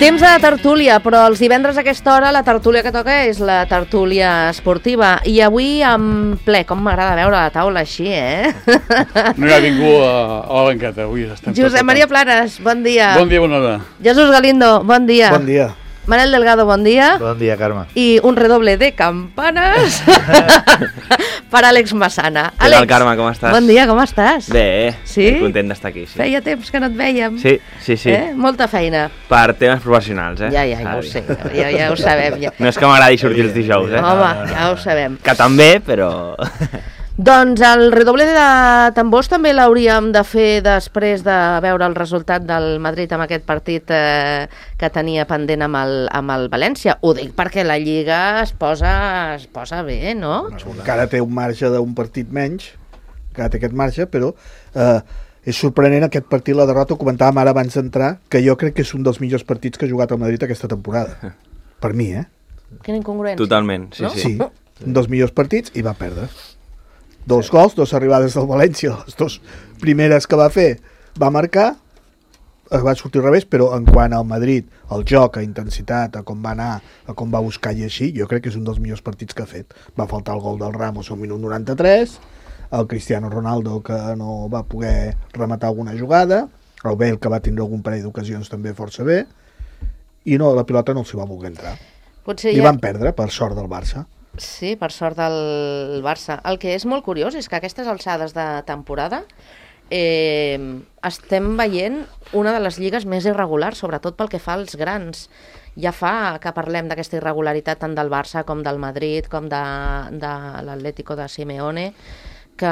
Temps de tertúlia, però els divendres a aquesta hora la tertúlia que toca és la tertúlia esportiva. I avui en ple, com m'agrada veure la taula així, No hi ha ningú a la banqueta, avui estem Josep Maria Planes, bon dia. Bon dia, bona hora. Jesús Galindo, bon dia. Bon dia. Manel Delgado, bon dia. Bon dia, Carme. I un redoble de campanes per Àlex Massana. Què tal, Carme, com estàs? Bon dia, com estàs? Bé, Sí? content d'estar aquí, sí. Feia temps que no et vèiem. Sí. Molta feina. Per temes professionals, Ja ho sé, ja ho sabem. Ja. No és que m'agradi sortir els dijous, Home, ja ho sabem. Que també, però... Doncs el redoble de tambors també l'hauríem de fer després de veure el resultat del Madrid amb aquest partit que tenia pendent amb el València. Ho dic perquè la Lliga es posa bé, no? Encara té un marge d'un partit menys, encara té aquest marge, però és sorprenent aquest partit, la derrota, ho comentàvem ara abans d'entrar, que jo crec que és un dels millors partits que ha jugat el Madrid aquesta temporada. Per mi, Quina incongruència. Totalment, No? Sí, un dels millors partits i va perdre. 2 gols, 2 arribades del València, les 2 primeres que va fer va marcar, va sortir al revés, però en quant al Madrid, el joc, a intensitat, a com va anar, a com va buscar i així, jo crec que és un dels millors partits que ha fet. Va faltar el gol del Ramos al minut 93, el Cristiano Ronaldo que no va poder rematar alguna jugada, el Bale que va tindre algun parell d'ocasions també força bé, i no, la pilota no els hi va voler entrar. I van perdre, per sort del Barça. Sí, per sort del Barça. El que és molt curiós és que a aquestes alçades de temporada estem veient una de les lligues més irregulars, sobretot pel que fa als grans. Ja fa que parlem d'aquesta irregularitat tant del Barça com del Madrid, com de l'Atlético de Simeone, que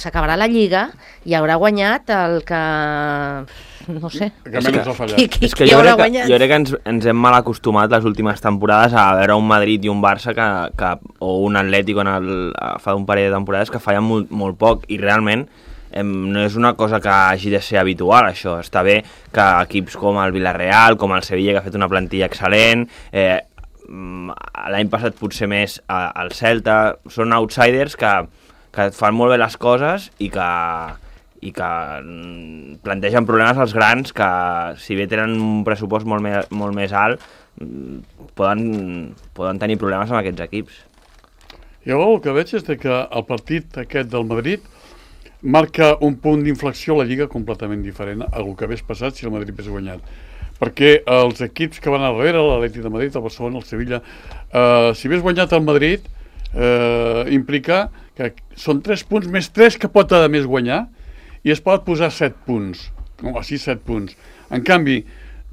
s'acabarà la Lliga i haurà guanyat el que... no sé. Que menys ha fallat. És que jo crec que ens hem mal acostumat les últimes temporades a veure un Madrid i un Barça o un Atlético fa un parell de temporades que fallen molt poc i realment no és una cosa que hagi de ser habitual, això. Està bé que equips com el Villarreal, com el Sevilla, que ha fet una plantilla excel·lent, l'any passat potser més el Celta, són outsiders que fan molt bé les coses i que plantegen problemes als grans que, si bé tenen un pressupost molt més alt, poden tenir problemes amb aquests equips. Jo el que veig és que el partit aquest del Madrid marca un punt d'inflexió a la Lliga completament diferent al que hagués passat si el Madrid hagués guanyat. Perquè els equips que van a darrere, l'Atlètic de Madrid, el Barcelona, el Sevilla, si hagués guanyat el Madrid, implica que són 3 punts més 3 que pot a més guanyar i es pot posar 7 punts, o així 7 punts. En canvi,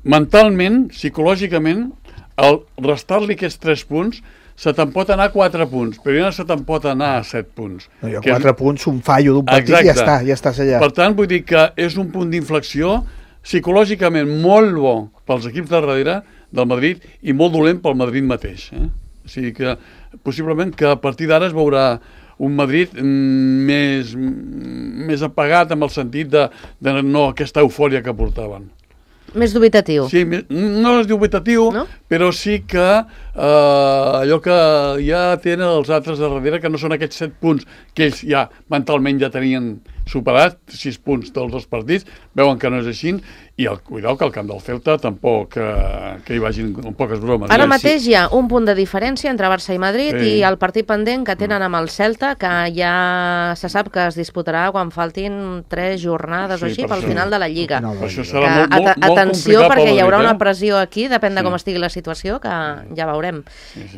mentalment, psicològicament, al restar-li aquests 3 punts, se te'n pot anar a 4 punts, però ja no se te'n pot anar a 7 punts. No, hi ha 4 punts, un fallo d'un partit i ja estàs allà. Per tant, vull dir que és un punt d'inflexió psicològicament molt bo pels equips de darrere del Madrid i molt dolent pel Madrid mateix. O sigui que, possiblement, que a partir d'ara es veurà un Madrid més apagat en el sentit de no aquesta eufòria que portaven. Més dubitatiu. Sí, no és dubitatiu, no? Però sí que allò que ja tenen els altres de darrere, que no són aquests 7 punts que ells ja mentalment ja tenien superat, 6 punts dels 2 partits, veuen que no és així, i cuidao que al camp del Celta tampoc que hi vagin amb poques bromes. Ara mateix hi ha un punt de diferència entre Barça i Madrid i el partit pendent que tenen amb el Celta, que ja se sap que es disputarà quan faltin 3 jornades o així pel final de la Lliga. Això serà molt atenció, perquè hi haurà una pressió aquí, depèn de com estigui la situació, que ja veurem.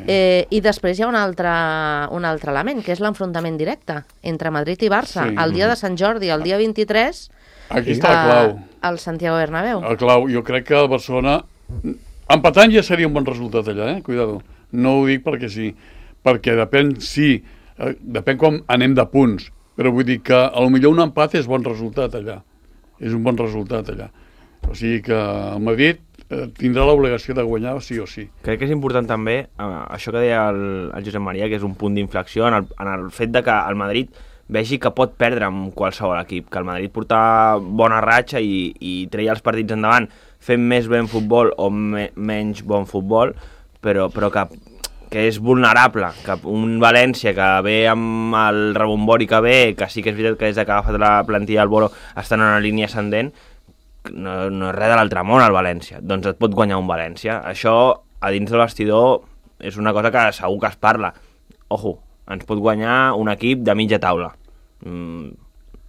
I després hi ha un altre element, que és l'enfrontament directe entre Madrid i Barça. El dia de Sant Jordi, el dia 23... Aquí està el clau. Al Santiago Bernabéu. El clau. Jo crec que el Barcelona... Empatant ja seria un bon resultat allà, cuidado. No ho dic perquè sí. Perquè depèn com anem de punts. Però vull dir que potser un empat és bon resultat allà. És un bon resultat allà. O sigui que el Madrid tindrà l'obligació de guanyar sí o sí. Crec que és important també, això que deia el Josep Maria, que és un punt d'inflexió en el fet de que el Madrid vegi que pot perdre amb qualsevol equip, que el Madrid portar bona ratxa i treia els partits endavant fent més ben futbol o menys bon futbol, però que és vulnerable, que un València que ve amb el rebombori que ve, que sí que és veritat que des que ha agafat la plantilla del Bolo estan en una línia ascendent, no és res de l'altre món el València, doncs et pot guanyar un València. Això, a dins del vestidor, és una cosa que segur que es parla. Ojo, ens pot guanyar un equip de mitja taula.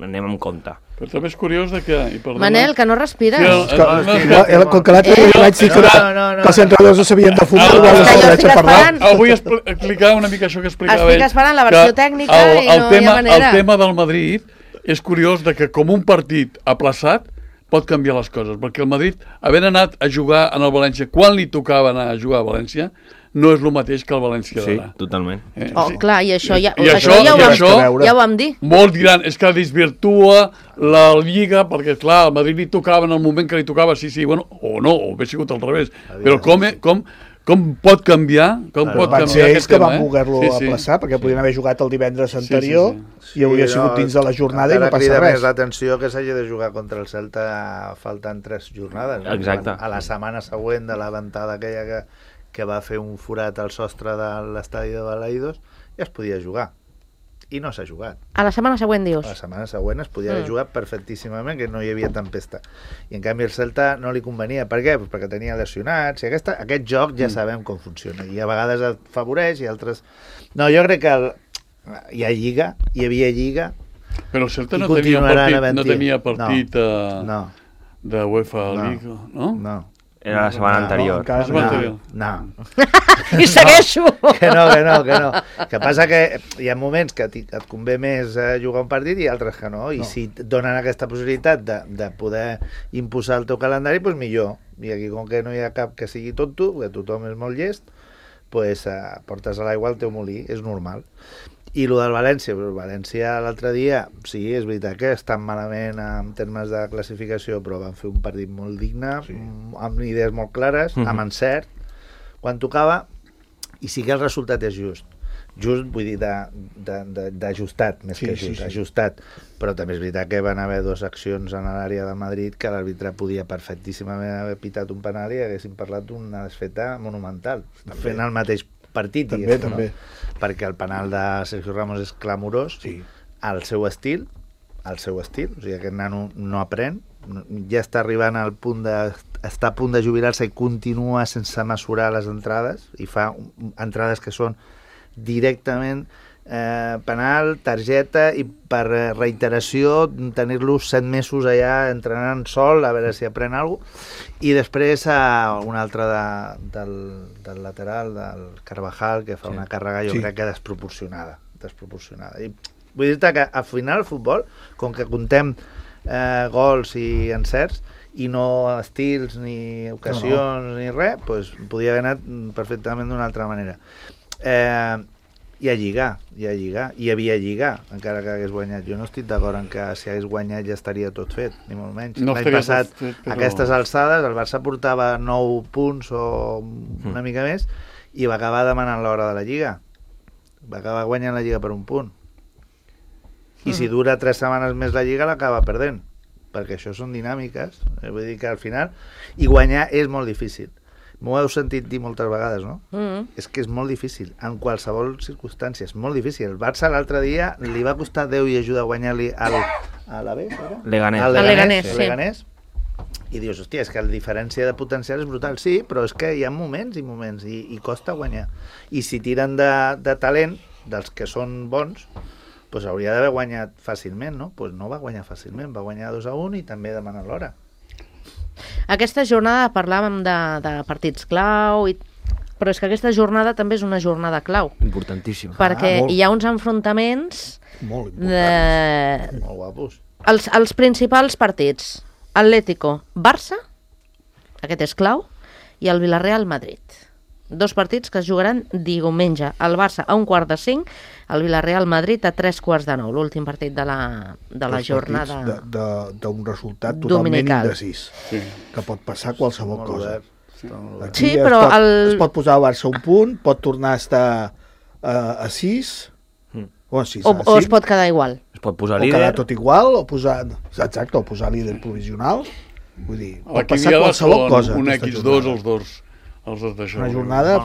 Anem amb compte. Però també és curiós que... Manel, que no respires. Com que l'altre dia vaig dir que els entrenadors no sabien de futbol, igual no s'atreveixen a parlar. Vull explicar una mica això que explicava ell. Estic esperant la versió tècnica i no hi ha manera. El tema del Madrid és curiós que com un partit aplaçat pot canviar les coses, perquè el Madrid, havent anat a jugar en el València quan li tocava anar a jugar a València, no és el mateix que el València d'ara. Sí, totalment. Clar, i això ja ho vam dir. Molts diran, és que desvirtua la Lliga, perquè clar, al Madrid li tocava en el moment que li tocava, sí, bueno, o no, o hauria sigut al revés. Però com pot canviar? Van ser ells que van voler-lo aplaçar, perquè podien haver jugat el divendres anterior i hauria sigut dins de la jornada i no passa res. Més l'atenció que s'hagi de jugar contra el Celta faltant 3 jornades. Exacte. A la setmana següent de la ventada aquella que va fer un forat al sostre de l'estadi de Balaidos, ja es podia jugar. I no s'ha jugat. A la setmana següent, dius? A la setmana següent es podia haver jugat perfectíssimament, que no hi havia tempesta. I en canvi el Celta no li convenia. Per què? Pues perquè tenia lesionats. I aquest joc ja sabem com funciona. I a vegades et favoreix i altres... No, jo crec que hi havia Lliga. Però el Celta no tenia partit de UEFA League, no? No. Era la setmana anterior. No. I segueixo! Que no. Que passa que hi ha moments que et convé més jugar un partit i altres que no. I si et donen aquesta possibilitat de poder imposar el teu calendari, doncs millor. I aquí, com que no hi ha cap que sigui tonto, que tothom és molt llest, doncs portes a l'aigua el teu molí, és normal. I el del València, el València l'altre dia, sí, és veritat que estan malament en termes de classificació, però van fer un partit molt digne, amb idees molt clares, amb encert, quan tocava, i sí que el resultat és just. Just, vull dir, d'ajustat, més que just, ajustat. Però també és veritat que van haver 2 accions en l'àrea del Madrid que l'àrbitre podia perfectíssimament haver pitat un penal i haguessin parlat d'una desfeta monumental. Estan fent el mateix partit, també. Perquè el penal de Sergio Ramos és clamorós, al seu estil, o sigui, aquest nano no aprèn, ja està arribant al punt està a punt de jubilar-se i continua sense mesurar les entrades, i fa entrades que són directament penal, targeta, i per reiteració tenir-lo 7 mesos allà entrenant sol, a veure si aprèn alguna cosa. I després un altre del lateral, del Carvajal, que fa una càrrega jo crec que desproporcionada. I vull dir-te que al final el futbol, com que comptem gols i encerts i no estils ni ocasions ni res, doncs podia haver anat perfectament d'una altra manera. Hi havia Lliga, encara que hagués guanyat. Jo no estic d'acord en que si hagués guanyat ja estaria tot fet, ni molt menys. L'any passat, a aquestes alçades, el Barça portava 9 punts o una mica més i va acabar demanant l'hora de la Lliga. Va acabar guanyant la Lliga per un punt. I si dura 3 setmanes més la Lliga, l'acaba perdent. Perquè això són dinàmiques. Vull dir que al final... I guanyar és molt difícil. M'ho heu sentit dir moltes vegades, no? És que és molt difícil, en qualsevol circumstància, és molt difícil. El Barça l'altre dia li va costar Déu i ajuda a guanyar-li a l'Alavés, era? Leganés. I dius, hòstia, és que la diferència de potencial és brutal. Sí, però és que hi ha moments i moments, i costa guanyar. I si tiren de talent, dels que són bons, doncs hauria d'haver guanyat fàcilment, no? Doncs no va guanyar fàcilment, va guanyar 2-1 i també demanant l'hora. Aquesta jornada parlàvem de partits clau, però és que aquesta jornada també és una jornada clau. Importantíssima. Perquè hi ha uns enfrontaments molt importants, molt guapos. Els principals partits: Atlético-Barça, aquest és clau, i el Villarreal-Madrid. 2 partits que es jugaran diumenge. El Barça a 4:45, el Villarreal-Madrid a 8:45, l'últim partit de la jornada d'un resultat totalment indecís, que pot passar qualsevol cosa. Sí, però es pot posar al Barça un punt, pot tornar a estar a 6 o es pot quedar igual. Es pot posar líder. O quedar tot igual, o posar líder provisional. Vull dir, pot passar qualsevol cosa. Un X2, els dos d'això. Una jornada...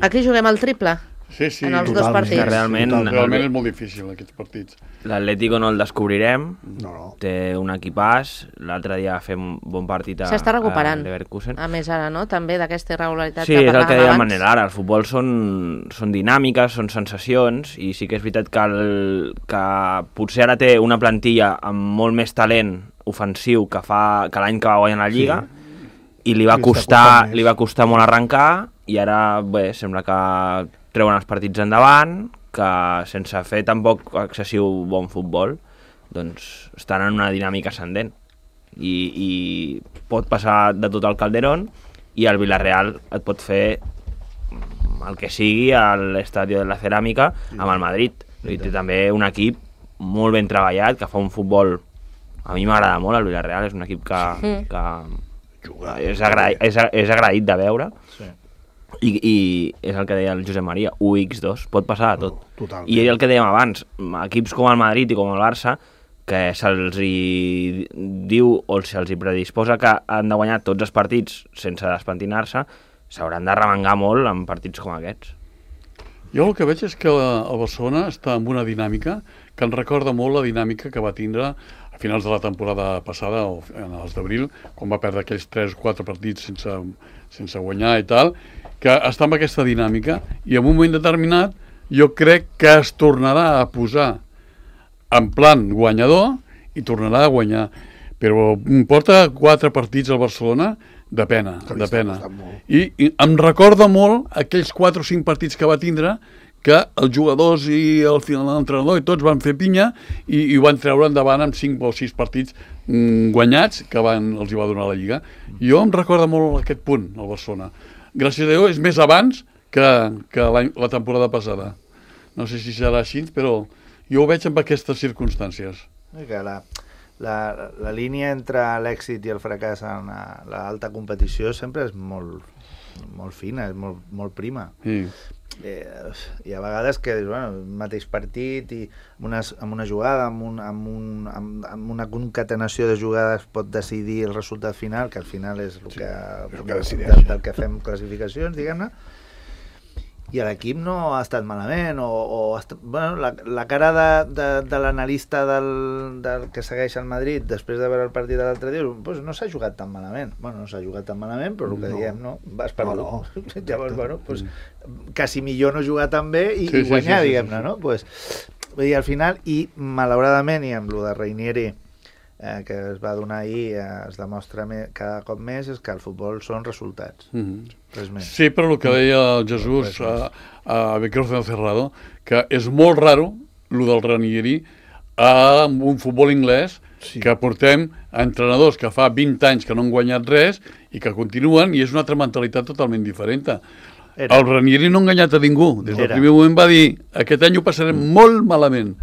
Aquí juguem el triple. Sí, sí. en els dos totalment. partits. Que realment, Realment és molt difícil, aquests partits. l'Atlético no el descobrirem, No. té un equipàs, l'altre dia fem un bon partit S'està recuperant. a Leverkusen. A més ara, no? També d'aquesta irregularitat Sí, que és el que parlàvem deia abans. Manel ara, el futbol són dinàmiques, són sensacions, i sí que és veritat que potser ara té una plantilla amb molt més talent ofensiu que l'any que va guanyar la Lliga, i li va Sí, està costant més. costar molt arrencar, i ara, bé, sembla que treuen els partits endavant, que sense fer tampoc excessiu bon futbol, doncs estan en una dinàmica ascendent. I pot passar de tot al Calderón, i el Villarreal et pot fer el que sigui a l'Estadi de la Ceràmica amb el Madrid. I té també un equip molt ben treballat, que fa un futbol... A mi m'agrada molt el Villarreal, és un equip que és agraït de veure. Sí. I és el que deia el Josep Maria, 1x2, pot passar de tot. Totalment. I el que dèiem abans, equips com el Madrid i com el Barça, que se'ls hi diu o se'ls hi predisposa que han de guanyar tots els partits sense despentinar-se, s'hauran de remengar molt en partits com aquests. Jo el que veig és que el Barcelona està en una dinàmica que em recorda molt la dinàmica que va tindre a finals de la temporada passada, o en els d'abril, quan va perdre aquells 3 o 4 partits sense guanyar i tal, que està en aquesta dinàmica, i en un moment determinat jo crec que es tornarà a posar en plan guanyador i tornarà a guanyar. Però porta 4 partits al Barcelona de pena, de pena. I em recorda molt aquells 4 o 5 partits que va tindre, que els jugadors i al final l'entrenador i tots van fer pinya i ho van treure endavant amb 5 o 6 partits guanyats que els hi va donar la Lliga. Jo em recorda molt aquest punt, el Barcelona. Gràcies a Déu és més abans que la temporada passada. No sé si serà així, però jo ho veig amb aquestes circumstàncies. Que la línia entre l'èxit i el fracàs en l'alta competició sempre és molt fina, és molt prima. Sí. I a vegades que bueno, mateix partit i amb una jugada, amb una concatenació de jugades pot decidir el resultat final, que al final és del que fem classificacions, diguem-ne. I l'equip no ha estat malament, bueno, la cara de l'analista del que segueix el Madrid després de veure el partit de l'altre dia, pues no s'ha jugat tan malament. Bueno, no s'ha jugat tan malament, però el que diem, no? Vas perdut. No. Llavors, bueno, pues, quasi millor no jugar tan bé i guanyar, diguem-ne, no? Pues, vull dir, al final, i malauradament, i amb lo de Reinieri, que es va donar ahir, es demostra cada cop més, és que el futbol són resultats. Res més. Sí, però el que deia el Jesús a Micrófono Cerrado, que és molt raro el del Ranieri amb un futbol anglès, que portem entrenadors que fa 20 anys que no han guanyat res i que continuen, i és una altra mentalitat totalment diferent. El Ranieri no ha enganyat a ningú. Des del primer moment va dir aquest any ho passarem molt malament.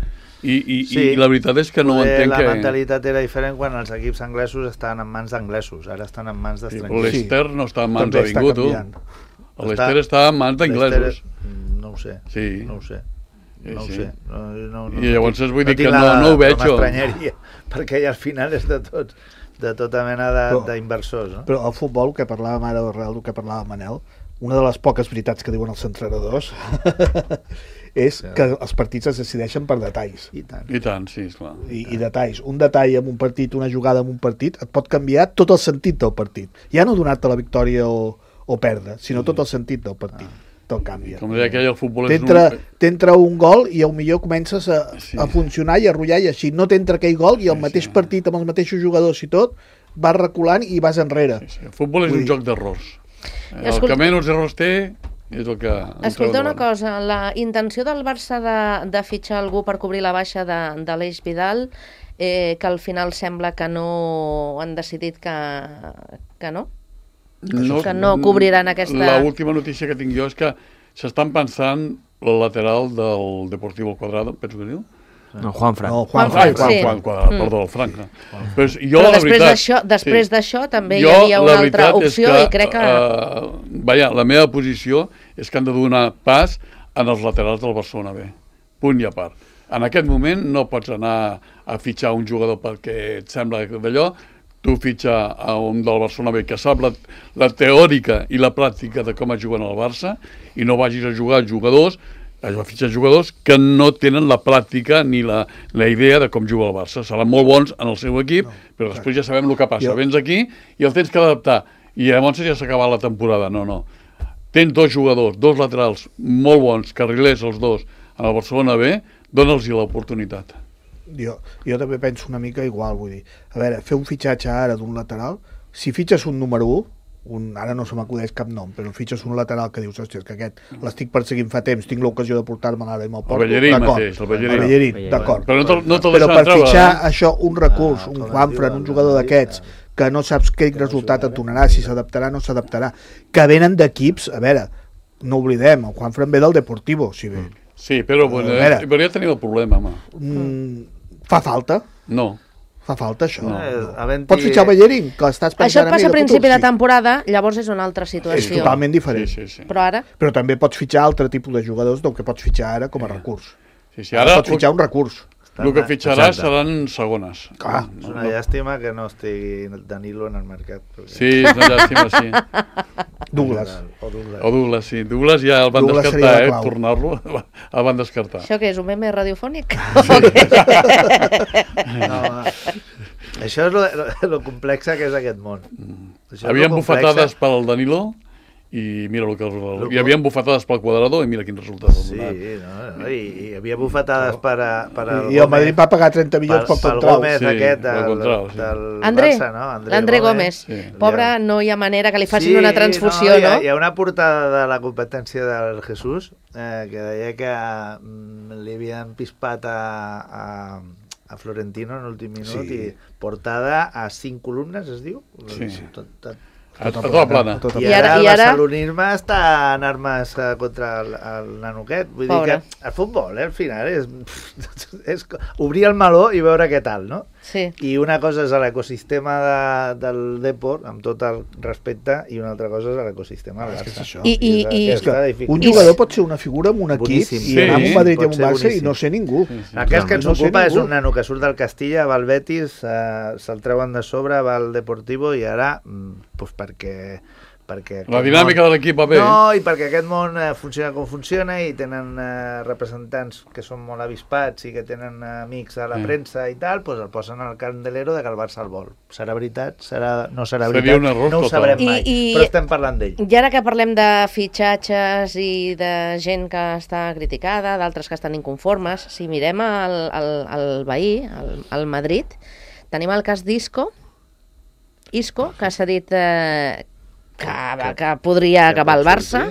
I la veritat és que no entenc que... La mentalitat era diferent quan els equips anglesos estaven en mans d'anglesos, ara estan en mans d'estrangers. L'Ester no està en mans de ningú, tu. L'Ester està en mans d'anglesos. No ho sé, no ho sé. No ho sé. I llavors vull dir que no ho veig. Perquè al final és de tots, de tota mena d'inversors. Però el futbol, que parlàvem ara, del que parlava Manel, una de les poques veritats que diuen els entrenadors és que els partits es decideixen per detalls. I tant. I tant, sí, esclar. I detalls. Un detall en un partit, una jugada en un partit, et pot canviar tot el sentit del partit. Ja no donar-te la victòria o perdre, sinó tot el sentit del partit. Te'l canvia. Com deia aquell, el futbol és t'entra un gol i millor comences a funcionar i a rotllar, i així no t'entra aquell gol i el mateix partit amb els mateixos jugadors i tot, vas reculant i vas enrere. El futbol és un joc d'errors. El que menys errors té és el que... Escolta una cosa, la intenció del Barça de fitxar algú per cobrir la baixa de l'Eix Vidal, que al final sembla que no han decidit que no? Que no cobriran aquesta... L'última notícia que tinc jo és que s'estan pensant el lateral del Deportivo Cuadrado, penso que diu? No, Juanfran. Juan Cuadrado, perdó, el Frank. Però després d'això també hi havia una altra opció i crec que... La meva posició és que han de donar pas en els laterals del Barcelona B. Punt i a part. En aquest moment no pots anar a fitxar un jugador perquè et sembla d'allò, tu fitxar a un del Barcelona B que sap la teòrica i la pràctica de com es juguen al Barça i no vagis a jugar jugadors, a fitxar jugadors que no tenen la pràctica ni la idea de com juga el Barça. Seran molt bons en el seu equip, però després ja sabem el que passa. Vens aquí i el tens que adaptar i llavors ja s'ha acabat la temporada. No. Tens dos jugadors, dos laterals molt bons, carrilers els dos, en el Barcelona B, dona'ls-hi l'oportunitat. Jo també penso una mica igual, vull dir, a veure, fer un fitxatge ara d'un lateral, si fitxes un número 1, ara no se m'acudeix cap nom, però fitxes un lateral que dius, hòstia, que aquest l'estic perseguint fa temps, tinc l'ocasió de portar-me l'ara i me'l porto, el Bellerín, d'acord. Però per fitxar això, un recurs, un Juanfran, un jugador d'aquests, que no saps quin resultat et donarà, si s'adaptarà o no s'adaptarà, que venen d'equips, a veure, no oblidem, el Juanfran ve del Deportivo, si bé. Sí, però ja tenim el problema, home. Fa falta? No. Fa falta això. No. Pots fitxar Bellerín, que estàs pensant... Això et passa a principi de temporada, llavors és una altra situació. És totalment diferent. Sí. Però ara... Però també pots fitxar altre tipus de jugadors del que pots fitxar ara com a recurs. Ara pots fitxar un recurs. El que fitxaràs seran segones. Clar. És una llàstima que no estigui Danilo en el mercat. Sí, és una llàstima, sí. Douglas. O Douglas, sí. Douglas ja el van descartar, tornar-lo, el van descartar. Això què és, un meme radiofònic? No, això és lo complexa que és aquest món. Havien bufetades pel Danilo i mira el que hi havia bufetades pel Cuadrado i mira quin resultat. Sí, i hi havia bufetades per i el Madrid va pagar 30 milions pel Contrau. Gómez aquest del Barça, no? André Gómez. Pobre, no hi ha manera que li facin una transfusió, no? Hi ha una portada de la competència del Jesús que deia que li havien pispat a Florentino en l'últim minut i portada a 5 columnes, es diu? Sí. A tota plana. I ara el barcelonisme està en armes contra el nano aquest. Vull dir que el futbol, al final, és obrir el meló i veure què tal, no? Sí. I una cosa és l'ecosistema del Depor, amb tot el respecte, i una altra cosa és l'ecosistema del Barça. Un jugador pot ser una figura en un equip i anar a un Madrid i a un Barça i no ser ningú. Aquest que ens ocupa és un nano que surt del Castilla, va al Betis, se'l treuen de sobre, va al Deportivo i ara, perquè la dinàmica de l'equip va bé. No, i perquè aquest món funciona com funciona i tenen representants que són molt avispats i que tenen amics a la premsa i tal, doncs el posen al candelero de que el Barça el vol. Serà veritat? No serà veritat? No ho sabrem mai, però estem parlant d'ell. I ara que parlem de fitxatges i de gent que està criticada, d'altres que estan inconformes, si mirem el veí, el Madrid, tenim el cas d'Isco, que s'ha dit que podria acabar el Barça.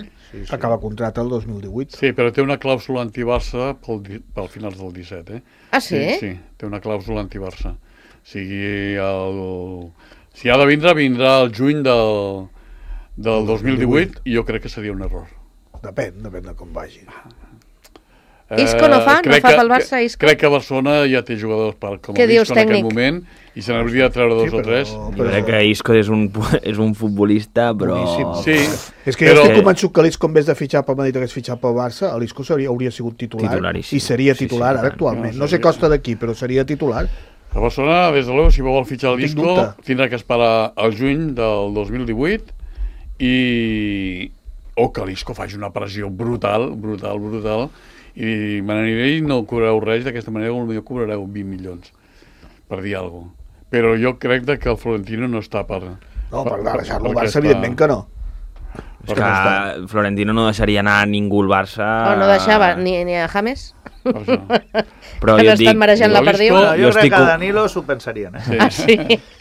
Acaba contracte el 2018. Sí, però té una clàusula anti-Barça pel finals del 17, Ah, sí? Sí, té una clàusula anti-Barça. O sigui, si ha de vindrà el juny del 2018 i jo crec que seria un error. Depèn de com vagi. Isco no fa pel Barça, Isco? Crec que Barcelona ja té jugadors com el Isco en aquest moment i se n'hauria de treure 2 o 3. Jo crec que Isco és un futbolista, però... Sí, és que jo estic convençut que l'Isco en vez de fitxar pel Madrid hagués fitxat pel Barça, l'Isco hauria sigut titular i seria titular ara actualment. No sé costa d'aquí, però seria titular. A Barcelona, des de l'Evo, si vol fitxar l'Isco, tindrà que esperar el juny del 2018 o que l'Isco faci una pressió brutal, i me n'aniré i no cobrareu res, d'aquesta manera potser cobrareu 20 milions per dir alguna cosa. Però jo crec que el Florentino no està per... No, per deixar-lo al Barça, evidentment que no. És que Florentino no deixaria anar a ningú al Barça... No deixava ni a James. Però que l'estan marejant la perdiu. Jo crec que a Danilo s'ho pensarien. Sí.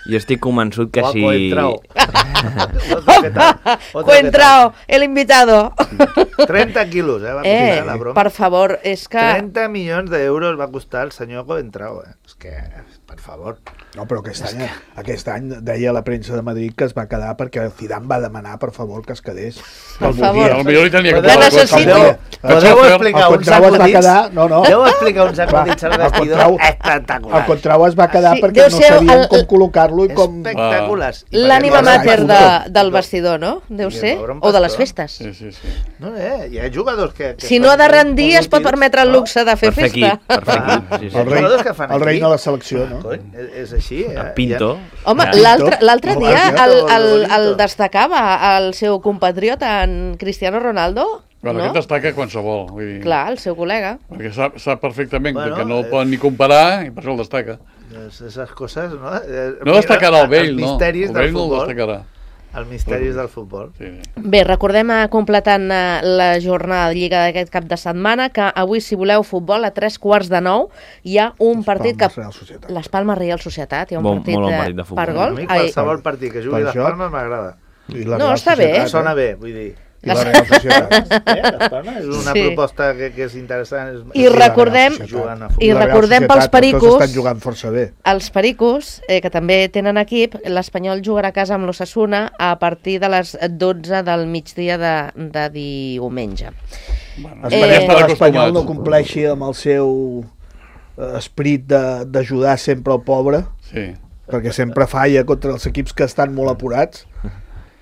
Jo estic convençut que si... Coentrao, el invitado. 30 quilos, va costar la broma. Per favor, és que... 30 milions d'euros va costar el senyor Coentrao, És que, per favor... No, però aquest any deia la premsa de Madrid que es va quedar perquè el Zidane va demanar, per favor, que es quedés. Per favor. Potser li tenia que Podeu explicar uns acudits? No, no. Deu explicar uns acudits al vestidor El espectaculars. Contrau es va quedar Sí, perquè deu no ser sabien com col·locar-lo i com... Espectaculars. L'ànima Exacte. mater del vestidor, no? Deu I ser. veure un O de les pastor. festes. Sí, sí, sí. No, hi ha jugadors que Si no ha de rendir, es pot permetre el luxe de fer Per fer festa. equip, per fer equip. Sí, sí. El rei, jugadors que fan el rei aquí. de la selecció, no? Cony, és així. El Pinto. Home, Ja. l'altre No, dia bonito. el destacava el seu compatriota, en Cristiano Ronaldo, Bueno, no? aquest destaca qualsevol. Vull dir, Clar, el seu col·lega. perquè sap perfectament Bueno, que no el poden ni comparar i per això el destaca. Esas coses, no? No destacarà el vell, els no. misteris El del vell no el futbol. destacarà. Els misteris del futbol. Sí, sí. Bé, recordem, completant la jornada de Lliga d'aquest cap de setmana, que avui, si voleu futbol, a 3:15 hi ha un partit que... Palmes, Real Societat. Les Palmes Real Societat, hi ha un Molt partit, bon partit de futbol. per A gol. mi qualsevol partit que jugui per les joc. Palmes m'agrada. I la No, Real està bé. Societat, Sona bé, vull dir. I la Real Societat. Les Palmes és una Sí. proposta que és interessant. I recordem- Jugant a i futbol. la Real recordem Societat, pels pericos- Tots estan jugant força bé. Els Pericos, que també tenen equip, l'Espanyol jugarà a casa amb l'Ossassuna a partir de les 12 del migdia de diumenge. Bueno, Esperem Eh, que estan l'Espanyol no acostumats. compleixi amb el seu esperit d'ajudar sempre el pobre, Sí. perquè sempre falla contra els equips que estan molt apurats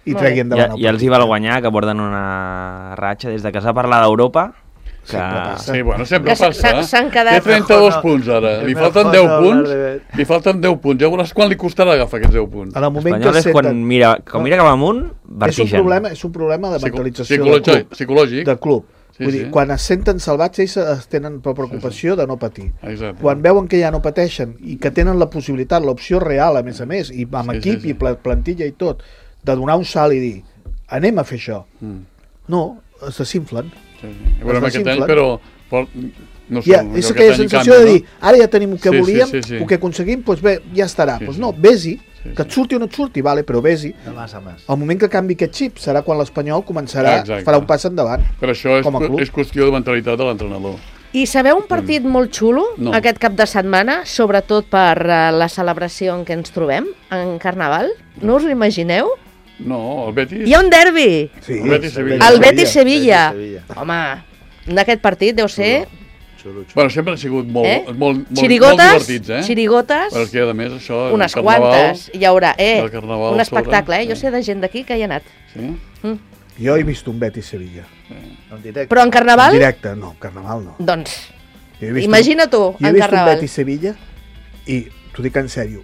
i Molt treguin bé. endavant Ja els hi val guanyar, que porten una ratxa des de que s'ha parlat d'Europa, que... Sí, bueno, sempre Que s'han- passa. s'han quedat- Té 32 No, punts ara. Li mejor falten no 10 hablar punts. de- Li falten 10 punts. Ja veuràs quan li costarà agafar aquests 10 punts. En el moment L'Espanyol que és quan mira cap amunt, és un vertigen. problema de mentalització Psicològic. de club. Sí, Vull dir, sí. quan es senten salvats, ells es tenen per preocupació de no patir. Exacte. Quan veuen que ja no pateixen i que tenen la possibilitat, l'opció real, a més, i amb Sí, equip sí, sí. i plantilla i tot, de donar un salt i dir, anem a fer això. No, es desinflen. Sí, sí. Ja veurem Es aquest any, desinflen. però no sé, Ja, allò és que aquella tenir sensació canvi, de dir, ara ja tenim el que Sí, sí, volíem, sí, sí. el que aconseguim, doncs bé, ja estarà. Sí, Doncs sí. no, vés-hi, Sí, que et sí. surti o no et surti, vale, però vés-hi. De mas a mas. El moment que canvi aquest xip serà quan l'Espanyol començarà, Exacte. farà un pas endavant. Però això és, com a club. és qüestió de mentalitat de l'entrenador. I sabeu un partit molt xulo No. aquest cap de setmana, sobretot per la celebració en què ens trobem, en Carnaval? No us ho imagineu? No, el Betis... Hi ha un derbi! Sí, El Betis-Sevilla. El Betis-Sevilla. Betis-Sevilla. Home, aquest partit deu ser... Xulo, xulo. Bueno, sempre han sigut molt, molt Xirigotes, divertits, eh? xirigotes, Però és que, a més, això... unes el carnaval, quantes. Hi haurà, el carnaval un sobre, espectacle, Jo sí. sé de gent d'aquí que hi ha anat. Sí? Jo he vist un Betis-Sevilla. En directe. Però en Carnaval, En directe, no, Carnaval no. doncs, Jo he vist imagina tu, jo he en vist un Carnaval. Betis-Sevilla i, t'ho dic en sèrio,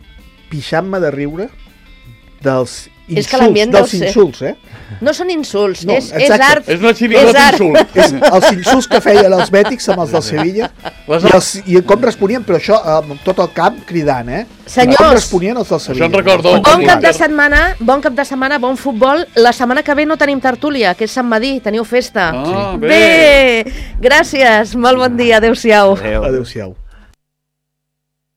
pixant-me de riure dels És que l'ambient dels deu ser- insults, eh? No són insults, No, és exacte. art. És una xirigota art. insult. És els insults que feien els bètics amb els del Sevilla i com responien, però això amb tot el camp cridant, eh? Senyors. Com responien els del Sevilla. em recordo- Bon cap de Inter. setmana, bon futbol. La setmana que ve no tenim tertúlia, que és Sant Madí, teniu festa. Ah, Bé, gràcies, molt bon dia, adeu-siau. Adéu. Adéu-siau.